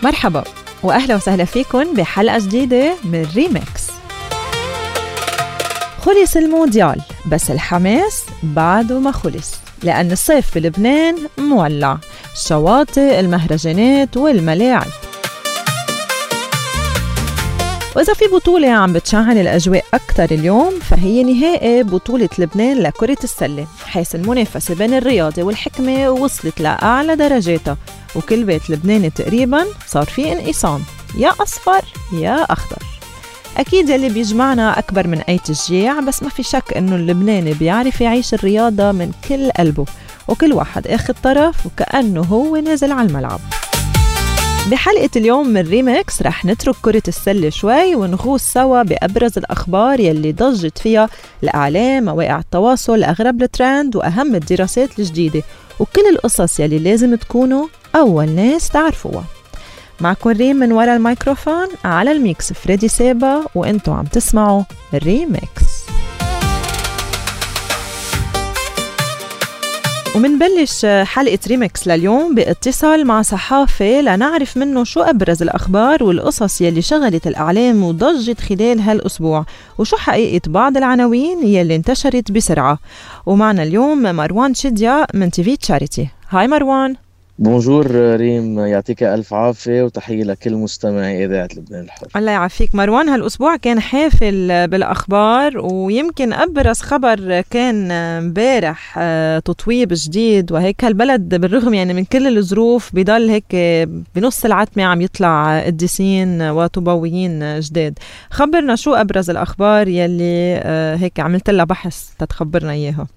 مرحبا وأهلا وسهلا فيكن بحلقة جديدة من ريمكس. خلص المونديال بس الحماس بعده ما خلص، لأن الصيف بلبنان مولع، الشواطئ، المهرجانات والملاعب. وإذا في بطولة عم بتشعل الأجواء أكتر اليوم فهي نهائي بطولة لبنان لكرة السلة، حيث المنافسة بين الرياضة والحكمة وصلت لأعلى درجاتها، وكل بيت لبناني تقريباً صار فيه انقسام، يا أصفر يا أخضر. أكيد يلي بيجمعنا أكبر من أي تشجيع، بس ما في شك إنه اللبناني بيعرف يعيش الرياضة من كل قلبه، وكل واحد أخذ طرف وكأنه هو نازل على الملعب. بحلقة اليوم من ريمكس رح نترك كرة السلة شوي ونغوص سوا بأبرز الأخبار يلي ضجت فيها الإعلام، مواقع التواصل، أغرب الترند وأهم الدراسات الجديدة، وكل القصص يلي لازم تكونوا أول ناس تعرفوها. معكم ريم من وراء الميكروفون، على الميكس فريدي سابا، وانتو عم تسمعوا ريمكس. ومنبلش حلقة ريمكس لليوم باتصال مع صحافي لنعرف منه شو أبرز الأخبار والقصص يلي شغلت الإعلام وضجت خلال هالأسبوع، وشو حقيقة بعض العناوين يلي انتشرت بسرعة. ومعنا اليوم مروان شديا من تيفي تشاريتي. هاي مروان. بونجور ريم، يعطيك ألف عافية وتحية لكل مستمعي إذاعة لبنان الحر. الله يعافيك مروان. هالأسبوع كان حافل بالأخبار، ويمكن أبرز خبر كان امبارح تطويب جديد، وهيك هالبلد بالرغم يعني من كل الظروف بيضل هيك بنص العتمة عم يطلع قديسين وطوبويين جداد. خبرنا شو أبرز الأخبار يلي هيك عملت لها بحث تتخبرنا إياها.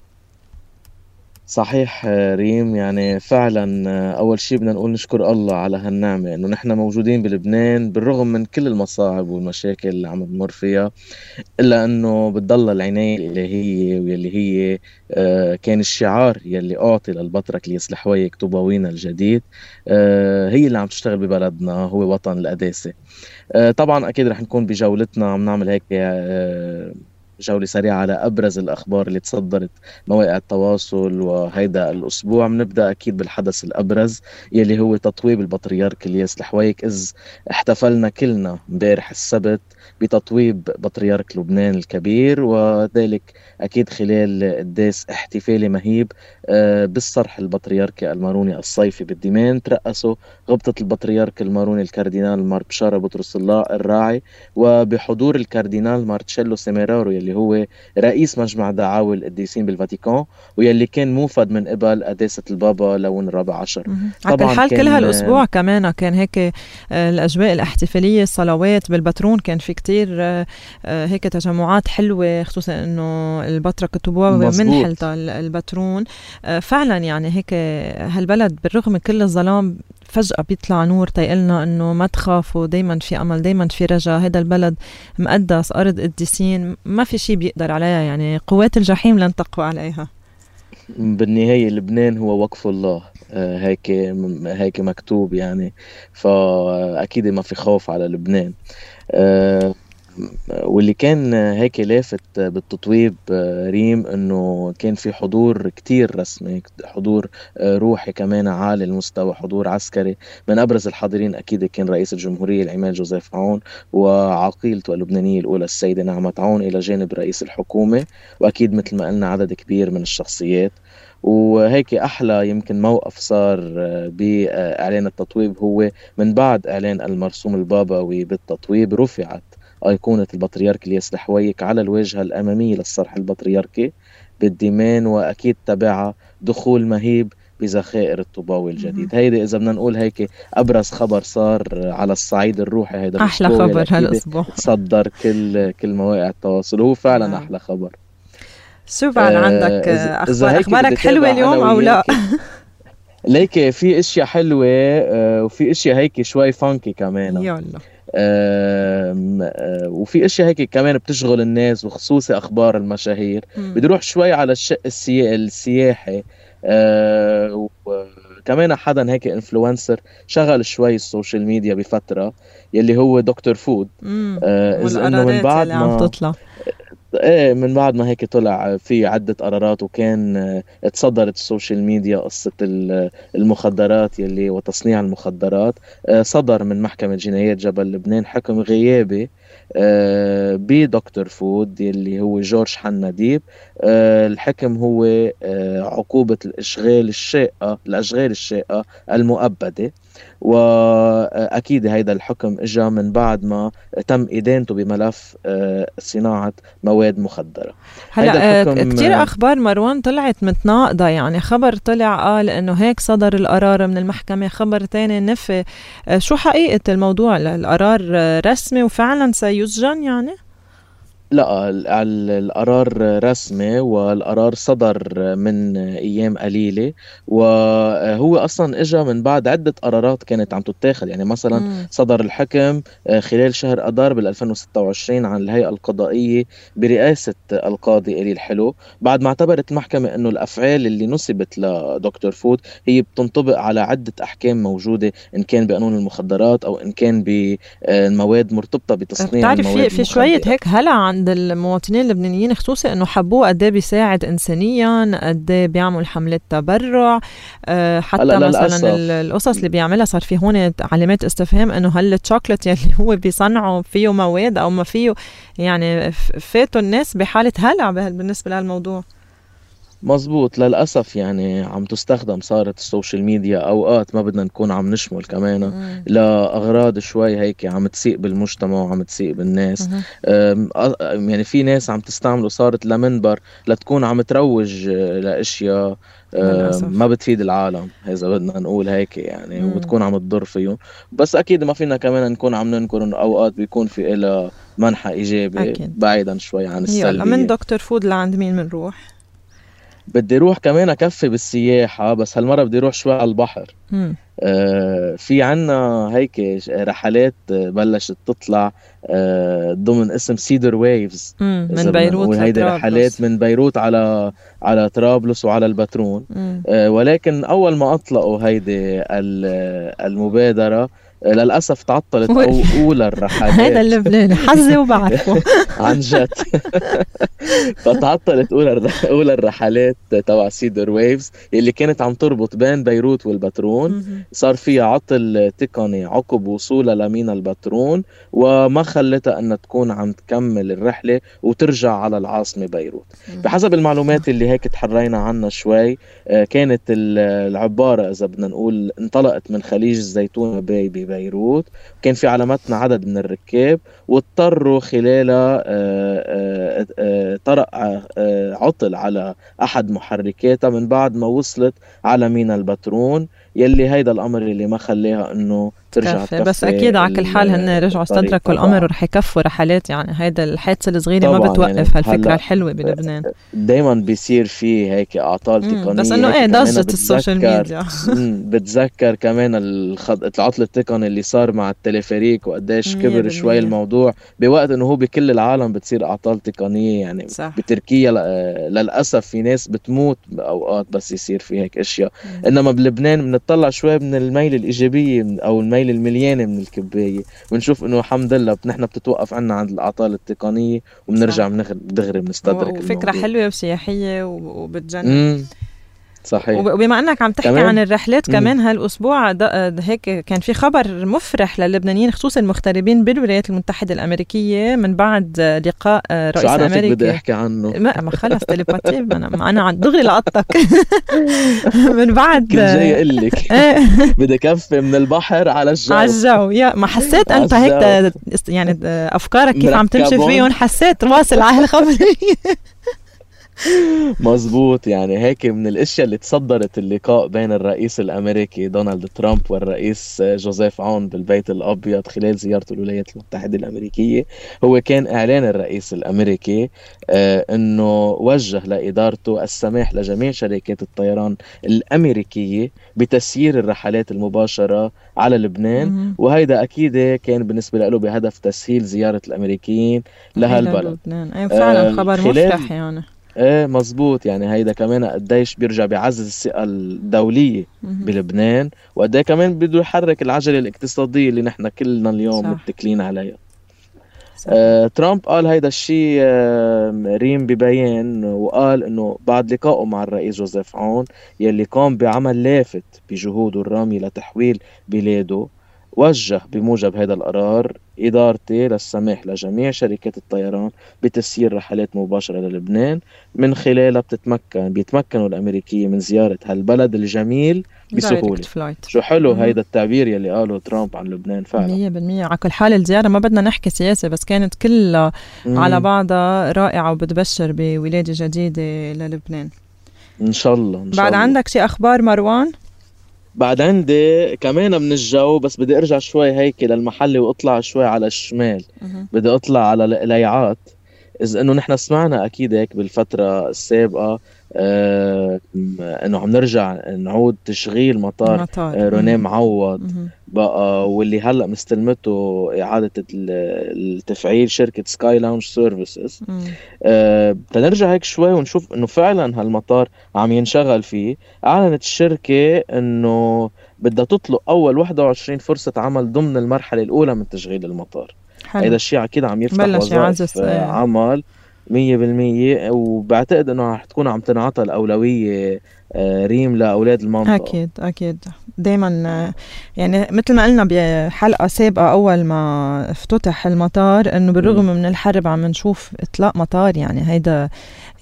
صحيح ريم، يعني فعلا أول شيء بدنا نقول نشكر الله على هالنعمة إنه نحن موجودين بلبنان بالرغم من كل المصاعب والمشاكل اللي عم نمر فيها، إلا إنه بتضل العناية الإلهية واللي هي كان الشعار يلي أعطي للبطرك ليصلح طوباوينا الجديد، هي اللي عم تشتغل ببلدنا، هو وطن القداسة. طبعا أكيد رح نكون بجولتنا عم نعمل هيك جولة سريعة على أبرز الأخبار اللي تصدرت مواقع التواصل وهيدا الأسبوع. بنبدأ أكيد بالحدث الأبرز يلي هو تطويب البطريرك الياس الحويك، إذ احتفلنا كلنا امبارح السبت بتطويب بطريرك لبنان الكبير، وذلك أكيد خلال قداس احتفالي مهيب بالصرح البطريركي الماروني الصيفي بالدمام. ترأسوا غبطة البطريرك الماروني الكاردينال مار بشارة بطرس الله الراعي، وبحضور الكاردينال مارتشيلو سيميرارو يلي هو رئيس مجمع دعاوى القديسين بالفاتيكان، ويلي كان موفد من قبل قداسة البابا لون الرابع عشر. طبعا الحال كل هالأسبوع كمان كان هيك الأجواء الاحتفالية، الصلوات بالبترون، كان في كتير هيك تجمعات حلوة، خصوصا انه البطرك الطوباوي من حلتا البترون. فعلا يعني هيك هالبلد بالرغم من كل الظلام فجأة بيطلع نور تيقلنا انه ما تخافوا، دايما في امل، دايما في رجاء. هيدا البلد مقدس، ارض قديسين، ما في شيء بيقدر عليها، يعني قوات الجحيم لن تقوى عليها. بالنهاية لبنان هو وقف الله، هيك مكتوب يعني، فأكيد ما في خوف على لبنان. واللي كان هيك لافت بالتطويب ريم انه كان في حضور كتير رسمي، حضور روحي كمان عالي المستوى، حضور عسكري. من ابرز الحاضرين اكيد كان رئيس الجمهورية العماد جوزيف عون وعقيلته اللبنانية الاولى السيدة نعمة عون الى جانب رئيس الحكومة، واكيد مثل ما قلنا عدد كبير من الشخصيات. وهيك أحلى يمكن موقف صار بإعلان التطويب هو من بعد إعلان المرسوم البابوي بالتطويب رفعت أيقونة البطريرك الياس الحويك على الواجهة الأمامية للصرح البطريركي بالديمان، وأكيد تبعها دخول مهيب بذخائر الطوباوي الجديد. هيدا إذا بدنا نقول هيك أبرز خبر صار على الصعيد الروحي هيدا أحلى خبر هالأسبوع تصدر كل مواقع التواصل، وهو فعلا أحلى خبر. شو بعد عندك أخبارك حلوة اليوم أو لا؟ ليك في اشياء حلوة وفي اشياء هيك شوي فانكي كمان. يلا. وفي اشياء هيك كمان بتشغل الناس، وخصوصي اخبار المشاهير. بدي اروح شوي على الشق السياحي. وكمان حدا هيك انفلونسر شغل شوي السوشيال ميديا بفترة، يلي هو دكتور فود. إذا انه من بعد ما عم تطلع ايه من بعد ما هيك طلع في عدة قرارات، وكان اتصدرت السوشيال ميديا قصة المخدرات يلي وتصنيع المخدرات. صدر من محكمة جنايات جبل لبنان حكم غيابي بدكتور فود يلي هو جورج حناديب. الحكم هو عقوبة الأشغال الشاقة المؤبدة. وأكيد هيدا الحكم إجا من بعد ما تم إدانته بملف صناعة مواد مخدرة. هلا كتير أخبار مروان طلعت متناقضة، يعني خبر طلع قال إنه هيك صدر القرار من المحكمة، خبر تاني نفي. شو حقيقة الموضوع؟ القرار رسمي وفعلا سيسجن يعني؟ لا، القرار رسمي، والقرار صدر من أيام قليلة، وهو أصلا إجا من بعد عدة قرارات كانت عم تتاخد. يعني مثلا صدر الحكم خلال شهر أذار بال2026 عن الهيئة القضائية برئاسة القاضي إلي الحلو، بعد ما اعتبرت المحكمة أنه الأفعال اللي نسبت لدكتور فود هي بتنطبق على عدة أحكام موجودة، إن كان بقانون المخدرات أو إن كان بمواد مرتبطة بتصنيع المواد المخدرة. في شوية هيك هلا عند المواطنين اللبنانيين خصوصي انه حبوه قد ايه بيساعد انسانيا، قد ايه بيعمل حملات تبرع. حتى مثلا القصص اللي بيعملها صار في هون علامات استفهام انه هل الشوكولات يلي هو بيصنعه فيه مواد او ما فيه، يعني فاتوا الناس بحالة هلع بالنسبة لهالموضوع. مزبوط، للأسف يعني عم تستخدم صارت السوشيال ميديا أوقات ما بدنا نكون عم نشمل كمان لأغراض شوي هيك عم تسيء بالمجتمع وعم تسيء بالناس. يعني في ناس عم تستعمله صارت لمنبر لتكون عم تروج لأشياء ما بتفيد العالم، إذا بدنا نقول هيك يعني، وبتكون عم تضر فيهم. بس أكيد ما فينا كمان نكون عم ننكر إنه أوقات بيكون في إلها منحى إيجابي بعيدا شوي عن السلبية. من دكتور فود لعند مين منروح؟ بدي روح كمان أكفي بالسياحة، بس هالمرة بدي روح شوي على البحر. في عنا هيك رحلات بلشت تطلع ضمن اسم سيدر ويفز من بيروت هيدي رحلات من بيروت على طرابلس وعلى البترون. ولكن أول ما أطلقوا هيدي المبادرة للأسف تعطلت أولى الرحلات. هذا اللبناني حظي وبعرفه عن جد. فتعطلت أولى الرحلات تبع سيدر ويفز اللي كانت عم تربط بين بيروت والبترون. صار فيها عطل تقني عقب وصولها لمينا البترون، وما خلتها أن تكون عم تكمل الرحلة وترجع على العاصمة بيروت. بحسب المعلومات اللي هيك تحرينا عنها شوي، كانت العبارة إذا بدنا نقول انطلقت من خليج الزيتون ببيروت، كان في على متن عدد من الركاب، واضطروا خلالها طرق عطل على أحد محركاتها من بعد ما وصلت على مينا البترون، يلي هيدا الأمر اللي ما خليها إنه ترجع تكفي. بس أكيد على كل حال هن رجعوا استدركوا الأمر ورح يكفوا رحلات. يعني هيدا الحادثة الصغيرة ما بتوقف يعني هالفكرة الحلوة بلبنان. دايما بيصير فيه هيك أعطال تقنية، بس إنه إيه ضجة السوشيال ميديا. بتذكر كمان العطل التقني اللي صار مع التلفريك وقديش كبر شوي الموضوع، بوقت إنه هو بكل العالم بتصير أعطال تقنية. يعني صح. بتركيا للأسف في ناس بتموت أوقات بس يصير في هيك أشياء. إنما بلبنان بنطلع شوي من الميل الإيجابية أو الميل المليانة من الكباية، بنشوف إنه الحمد لله نحن بتتوقف عنا عند الأعطال التقنية وبنرجع دغري بنستدرك. فكرة حلوة وسياحية وبتجنن. صحيح. وبما أنك عم تحكي عن الرحلات كمان هالأسبوع هيك كان في خبر مفرح للبنانيين خصوصا المغتربين بالولايات المتحدة الأمريكية من بعد لقاء رئيس أمريكا. بدي أحكي عنه. ما خلص تليباتي أنا دغري لقطتك. من بعد كنت جاي أقول لك بدي كفي من البحر على الجو. يا ما حسيت أنت هيك يعني أفكارك كيف عم تمشي فيهم، حسيت واصل على الخبر. مزبوط. يعني هيك من الاشياء اللي تصدرت اللقاء بين الرئيس الامريكي دونالد ترامب والرئيس جوزيف عون بالبيت الابيض خلال زيارته الولايات المتحده الامريكيه، هو كان اعلان الرئيس الامريكي انه وجه لادارته السماح لجميع شركات الطيران الامريكيه بتسيير الرحلات المباشره على لبنان. وهيدا اكيد كان بالنسبه له بهدف تسهيل زياره الامريكيين لهالبلد. ايوه فعلا خبر مفرح يعني. مزبوط. يعني هيدا كمان قديش بيرجع بيعزز الثقة الدولية بلبنان، وقديه كمان بده يحرك العجلة الاقتصادية اللي نحن كلنا اليوم متكلين عليها. ترامب قال هيدا الشيء ريم ببيان، وقال انه بعد لقائه مع الرئيس جوزيف عون يلي قام بعمل لافت بجهوده الرامية لتحويل بلاده، وجه بموجب هذا القرار إدارتي للسماح لجميع شركات الطيران بتسيير رحلات مباشرة للبنان، من خلالها بيتمكنوا الأمريكيين من زيارة هالبلد الجميل بسهولة. شو حلو هيدا التعبير يلي قاله ترامب عن لبنان. فعلا 100% على كل حال الزيارة ما بدنا نحكي سياسة، بس كانت كلها على بعضها رائعة وبتبشر بولادة جديدة للبنان إن شاء الله. بعد عندك شي أخبار مروان؟ بعد عندي كمان من الجو، بس بدي ارجع شوي هيك للمحلي واطلع شوي على الشمال. بدي اطلع على القليعات. اذا انه نحن سمعنا اكيد هيك بالفترة السابقة انه عم نرجع نعود تشغيل مطار رونيه معوض بقى، واللي هلا مستلمته اعادة التفعيل شركة سكاي لاونج سيرفيسز. تنرجع هيك شوي ونشوف انه فعلا هالمطار عم ينشغل فيه. اعلنت الشركة انه بدها تطلق اول 21 فرصة عمل ضمن المرحلة الاولى من تشغيل المطار. هيدا الشيء اكيد عم يفتح وظائف عمل 100%، وبعتقد انه رح تكون عم تنعطى الاولويه ريم لاولاد المنطقه. اكيد دائما، يعني مثل ما قلنا بحلقه سابقه اول ما افتتح المطار انه بالرغم من الحرب عم نشوف اطلاق مطار. يعني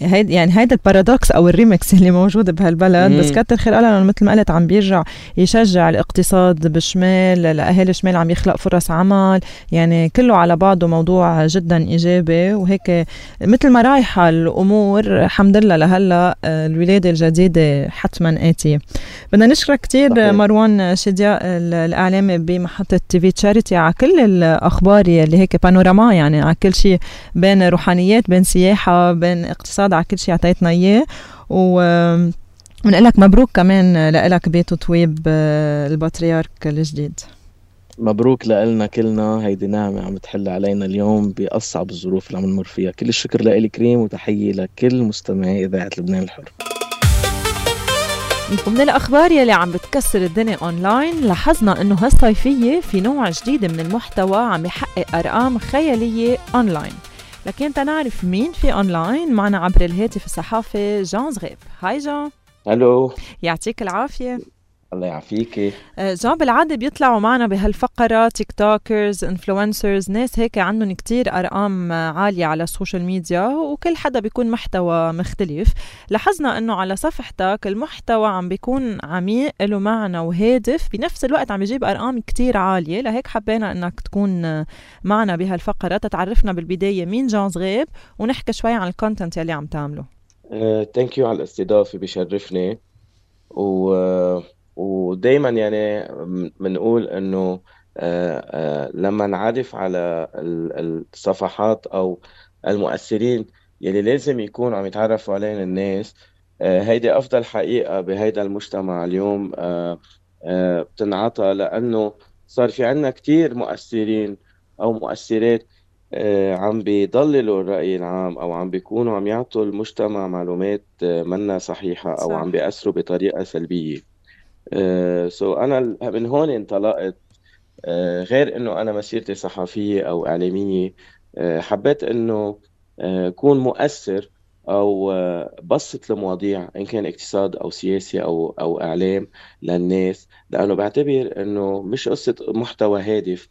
هيدا البارادوكس او الريمكس اللي موجود بهالبلد. بس كتر خير الله مثل ما قلت عم بيرجع يشجع الاقتصاد بشمال، لاهالي شمال عم يخلق فرص عمل. يعني كله على بعضه موضوع جدا ايجابي، وهيك مثل ما رايحه الامور الحمد لله لهلا الولاده الجديده حتما آتية. بدنا نشكرك كتير مروان شدياء الإعلامي بمحطة تي في تشاريتي على كل الأخبار اللي هيك بانوراما، يعني على كل شيء بين روحانيات بين سياحة بين اقتصاد، على كل شيء عطيتنا إياه. ونقلك مبروك كمان لك بيت طويب البطريرك الجديد. مبروك لنا كلنا، هيدي نعمة عم تحل علينا اليوم بأصعب الظروف اللي عم نمر فيها. كل الشكر لإلك كريم، وتحية لكل مستمعي إذاعة لبنان الحر. ومن الأخبار يلي عم بتكسر الدنيا أونلاين، لاحظنا أنه هالصيفية في نوع جديد من المحتوى عم يحقق أرقام خيالية أونلاين. لكن تنعرف مين في أونلاين؟ معنا عبر الهاتف الصحافي جان زغيب. هاي جان. هلو، يعطيك العافية. الله يعافيكي. جان، بالعادة بيطلعوا معنا بهالفقرة تيك توكرز، انفلونسرز، ناس هيك عندهم كتير أرقام عالية على السوشيال ميديا، وكل حدا بيكون محتوى مختلف. لاحظنا أنه على صفحتك المحتوى عم بيكون عميق له معنى وهادف، بنفس الوقت عم بيجيب أرقام كتير عالية. لهيك حبينا أنك تكون معنا بهالفقرة تتعرفنا بالبداية مين جان زغيب، ونحكي شوي عن الكونتنت يلي عم تعمله. ثانك يو على الاستضافة، بيشرفني. ودايما يعني بنقول انه لما نعرف على الصفحات او المؤثرين يلي لازم يكونوا عم يتعرفوا علينا الناس، هيدي افضل حقيقة بهيدا المجتمع اليوم بتنعطى، لانه صار في عنا كتير مؤثرين او مؤثرات عم بيضللوا الرأي العام، او عم بيكونوا عم يعطوا المجتمع معلومات منا صحيحة، او عم بيأثروا بطريقة سلبية. أنا من هون انطلقت. غير إنه أنا مسيرتي صحفية أو إعلامية، حبيت إنه أكون مؤثر أو بسط المواضيع إن كان اقتصاد أو سياسي أو إعلام للناس، لأنه بعتبر إنه مش قصة محتوى هادف.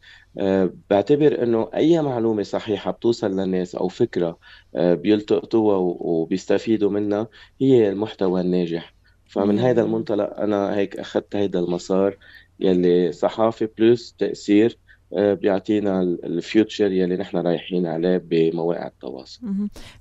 بعتبر إنه أي معلومة صحيحة بتوصل للناس أو فكرة بيلتقطوها وبيستفيدوا منها هي المحتوى الناجح. فمن هذا المنطلق أنا هيك أخذت هيدا المسار يلي صحافة بلس تأثير بيعطينا الفيوتشر يلي نحن رايحين عليه بمواقع التواصل.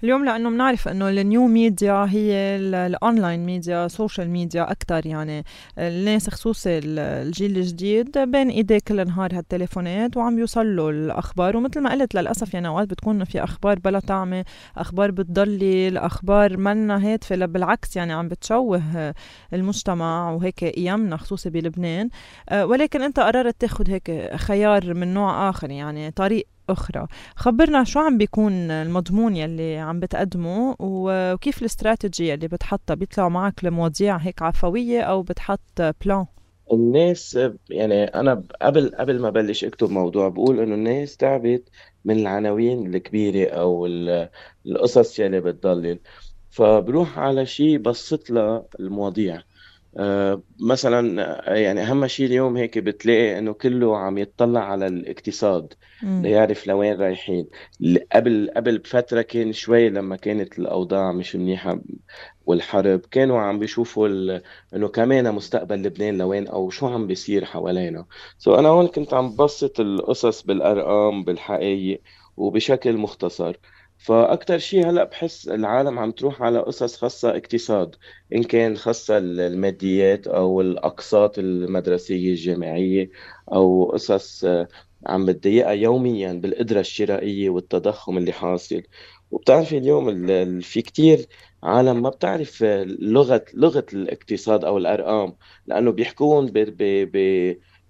اليوم لأنه بنعرف أنه النيو ميديا هي الأونلاين ميديا، سوشيال ميديا أكتر. يعني الناس خصوصي الجيل الجديد بين إيديه كل نهار هالتليفونات وعم يوصل له الأخبار. ومثل ما قلت للأسف يعني أوقات بتكون في أخبار بلا طعمة، أخبار بتضلل، أخبار منا هادفة، بالعكس يعني عم بتشوه المجتمع وهيك أيامنا خصوصي بلبنان. ولكن أنت قررت تاخد هيك خيار من نوع آخر، يعني طريق أخرى. خبرنا شو عم بيكون المضمون يلي عم بتقدمه، وكيف الاستراتيجية اللي بتحطها؟ بيطلعوا معك لمواضيع هيك عفوية أو بتحط بلان؟ الناس يعني انا قبل ما بلش اكتب موضوع بقول انه الناس تعبت من العناوين الكبيره او القصص يلي بتضلل، فبروح على شيء بسط لها المواضيع. مثلا يعني اهم شيء اليوم هيك بتلاقي انه كله عم يتطلع على الاقتصاد مم. ليعرف لوين رايحين. قبل بفترة كان شوي لما كانت الأوضاع مش منيحة والحرب، كانوا عم بيشوفوا انه كمان مستقبل لبنان لوين او شو عم بيصير حوالينا. انا هون كنت عم بسط القصص بالارقام بالحقائق وبشكل مختصر. فاكتر شيء هلا بحس العالم عم تروح على قصص خاصة اقتصاد، ان كان خاصة الماديات او الاقساط المدرسية الجامعية، او قصص عم بتضايقها يوميا بالقدرة الشرائية والتضخم اللي حاصل. وبتعرفي اليوم في كتير عالم ما بتعرف لغة الاقتصاد أو الأرقام، لأنه بيحكون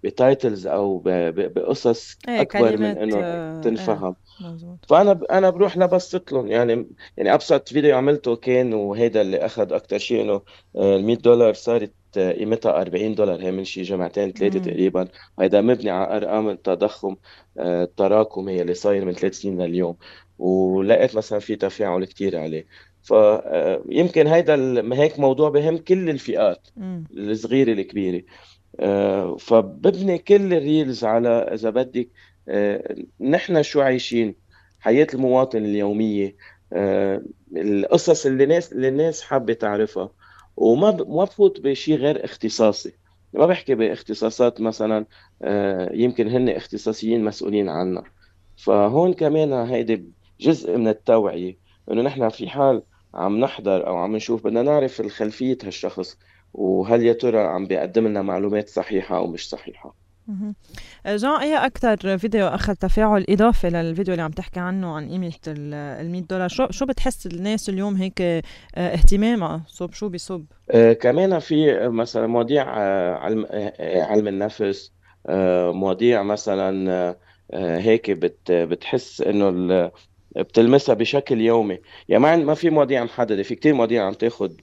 بتايتلز أو بقصص ايه أكبر من كلمات إنه ايه تنفهم. مزبوط. فأنا بروح لبسط لهم يعني أبسط فيديو عملته كان، وهيدا اللي أخذ أكتر شيء، إنه ال $100 صارت قيمتها $40 هي من شي جمعتين ثلاثة مم. تقريبا. وهيدا مبني على أرقام التضخم التراكمي اللي صاير من 3 سنين لليوم، ولقيت مثلا في تفاعل كتير عليه. فيمكن هيدا هيك موضوع بهم كل الفئات، مم. الصغيرة الكبيرة. فببني كل الريلز على، إذا بدك، نحن شو عايشين، حياة المواطن اليومية، القصص اللي الناس حابة تعرفها. ما بفوت بشيء غير اختصاصي، ما بحكي باختصاصات مثلا يمكن هن اختصاصيين مسؤولين عنها. فهون كمان هيدي جزء من التوعية، انه نحن في حال عم نحضر او عم نشوف بدنا نعرف خلفية هالشخص، وهل يا ترى عم بيقدم لنا معلومات صحيحة او مش صحيحة. مهم. جان، ايه اكتر فيديو اخذ تفاعل اضافي للفيديو اللي عم تحكي عنه عن قيمة $100؟ شو بتحس الناس اليوم هيك اهتمامها صوب شو بصوب؟ كمان في مثلا مواضيع علم النفس، مواضيع مثلا هيك بتحس انه بتلمسها بشكل يومي. يعني ما في مواضيع محددة، في كتير مواضيع عم تاخد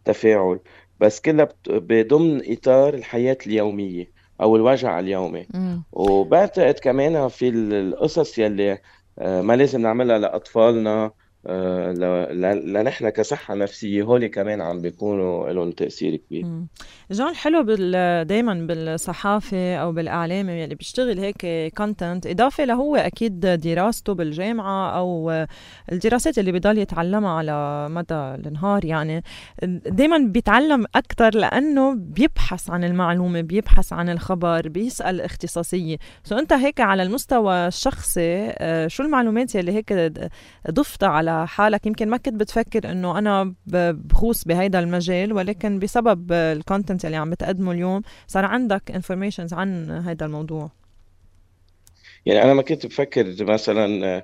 تفاعل، بس كلها بضمن إطار الحياة اليومية أو الوجع اليومي. مم. وبعتقد كمان في القصص يلي ما لازم نعملها لأطفالنا، لنحن كصحة نفسية، هولي كمان عم بيكونوا لهم تأثير كبير. مم. جون، الحلو دايما بالصحافة أو بالإعلام اللي بيشتغل هيك كونتنت، إضافة لهو أكيد دراسته بالجامعة أو الدراسات اللي بيضل يتعلمها على مدى النهار، يعني دايما بيتعلم أكتر لأنه بيبحث عن المعلومة، بيبحث عن الخبر، بيسأل اختصاصية. أنت هيك على المستوى الشخصي شو المعلومات اللي هيك ضفتها على حالك، يمكن ما كنت بتفكر إنه أنا بخوص بهيدا المجال، ولكن بسبب الكونتنت اللي عم بتقدمه اليوم صار عندك انفورميشنز عن هيدا الموضوع؟ يعني أنا ما كنت بفكر مثلا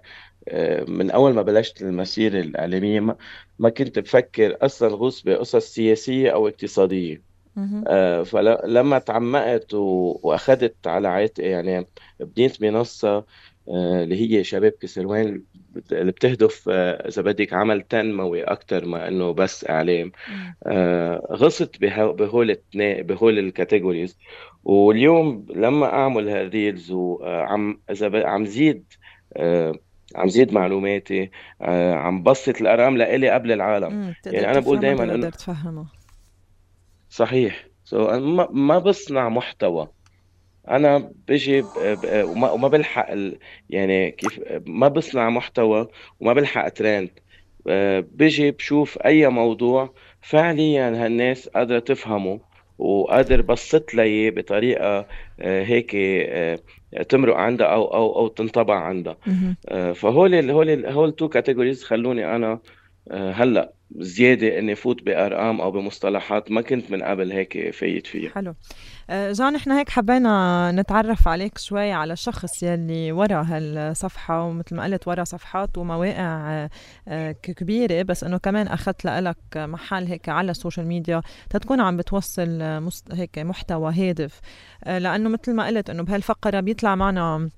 من أول ما بلشت المسيرة الإعلامية، ما كنت بفكر أصلا غوص بقصص سياسية أو اقتصادية. مهم. فلما تعمقت واخذت على عاتقي، يعني بنيت منصة اللي هي شباب كسروان، اللي بتهدف اذا بدك عمل تنموي اكثر ما انه بس اعلام. مم. غصت بهول الكاتيجوريز. واليوم لما اعمل هالريلز وعم اذا عم زيد آه، عم زيد معلوماتي، عم بسط الارقام لإلي قبل العالم. تقدر يعني انا بقول تفهمها، دائما تقدر انه تفهمها. صحيح. ما بصنع محتوى، انا بجي وما بلحق يعني كيف ما بصنع محتوى وما بلحق ترند. بجي بشوف اي موضوع فعليا هالناس قادرة تفهمه، وقادر بسط لي إياه بطريقة هيك تمرق عندها او تنطبع عندها. مهم. هول تو كاتيجوريز خلوني انا هلا زيادة اني فوت بارقام او بمصطلحات ما كنت من قبل هيك فايت فيها. حلو. جان، احنا هيك حبينا نتعرف عليك شوي على الشخص يلي ورا هالصفحة، ومثل ما قلت ورا صفحات ومواقع كبيرة، بس انه كمان اخذت لك محل هيك على السوشيال ميديا تتكون عم بتوصل هيك محتوى هادف. لانه مثل ما قلت انه بهالفقرة بيطلع معنا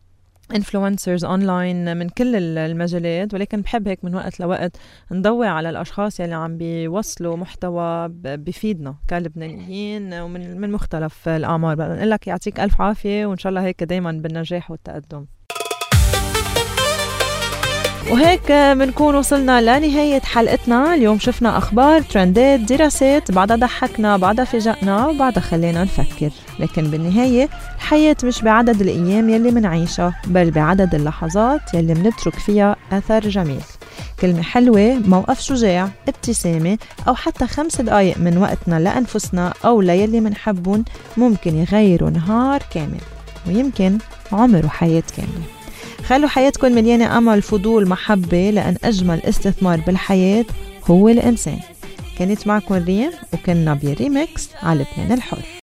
influencers online من كل المجالات، ولكن بحب هيك من وقت لوقت نضوي على الأشخاص يلي عم بيوصلوا محتوى بفيدنا كلبنانيين ومن مختلف الأعمار. بقى نقول لك يعطيك ألف عافية، وإن شاء الله هيك دايما بالنجاح والتقدم. وهيك بنكون وصلنا لنهاية حلقتنا اليوم. شفنا أخبار، ترندات، دراسات، بعدها ضحكنا، بعدها فاجأنا، وبعدها خلينا نفكر. لكن بالنهاية الحياة مش بعدد الأيام يلي منعيشها، بل بعدد اللحظات يلي منترك فيها أثر جميل. كلمة حلوة، موقف شجاع، ابتسامة، أو حتى 5 دقايق من وقتنا لأنفسنا أو ليلي منحبون ممكن يغيروا نهار كامل، ويمكن عمر وحياة كاملة. خلوا حياتكم مليانة أمل، فضول، محبة، لأن أجمل استثمار بالحياة هو الإنسان. كانت معكم ريم، وكنا بريمكس على لبنان الحر.